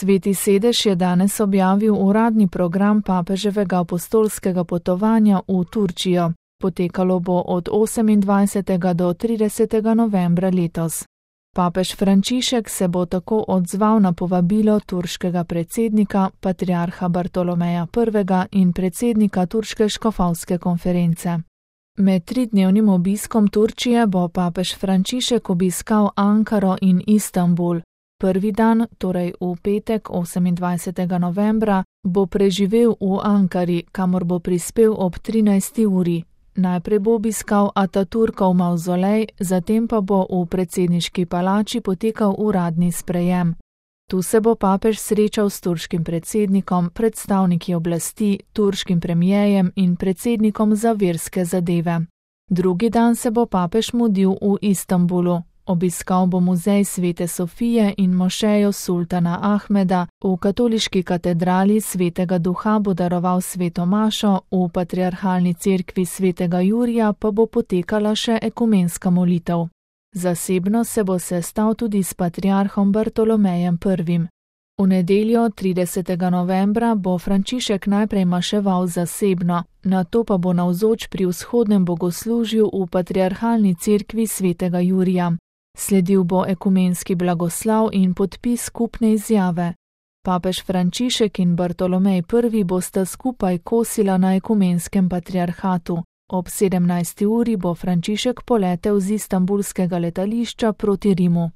Sveti sedež je danes objavil uradni program papeževega apostolskega potovanja v Turčijo. Potekalo bo od 28. do 30. novembra letos. Papež Frančišek se bo tako odzval na povabilo turškega predsednika, patriarha Bartolomeja I. in predsednika Turške škofovske konference. Med 3-dnevnim obiskom Turčije bo papež Frančišek obiskal Ankaro in Istanbul. Prvi dan, torej v petek 28. novembra, bo preživel v Ankari, kamor bo prispel ob 13. uri. Najprej bo obiskal Ataturkov mavzolej, zatem pa bo v predsedniški palači potekal uradni sprejem. Tu se bo papež srečal s turškim predsednikom, predstavniki oblasti, turškim premijejem in predsednikom za verske zadeve. Drugi dan se bo papež mudil v Istanbulu. Obiskal bo muzej Svete Sofije in mošejo sultana Ahmeda, v katoliški katedrali Svetega Duha bo daroval sveto mašo, v patriarhalni cerkvi Svetega Jurija pa bo potekala še ekumenska molitev. Zasebno se bo sestal tudi s patriarhom Bartolomejem I. V nedeljo 30. novembra bo Frančišek najprej maševal zasebno, nato pa bo navzoč pri vzhodnem bogoslužju v patriarhalni cerkvi Svetega Jurija. Sledil bo ekumenski blagoslav in podpis skupne izjave. Papež Frančišek in Bartolomej I. bosta skupaj kosila na ekumenskem patriarhatu. Ob 17. uri bo Frančišek poletel z istanbulskega letališča proti Rimu.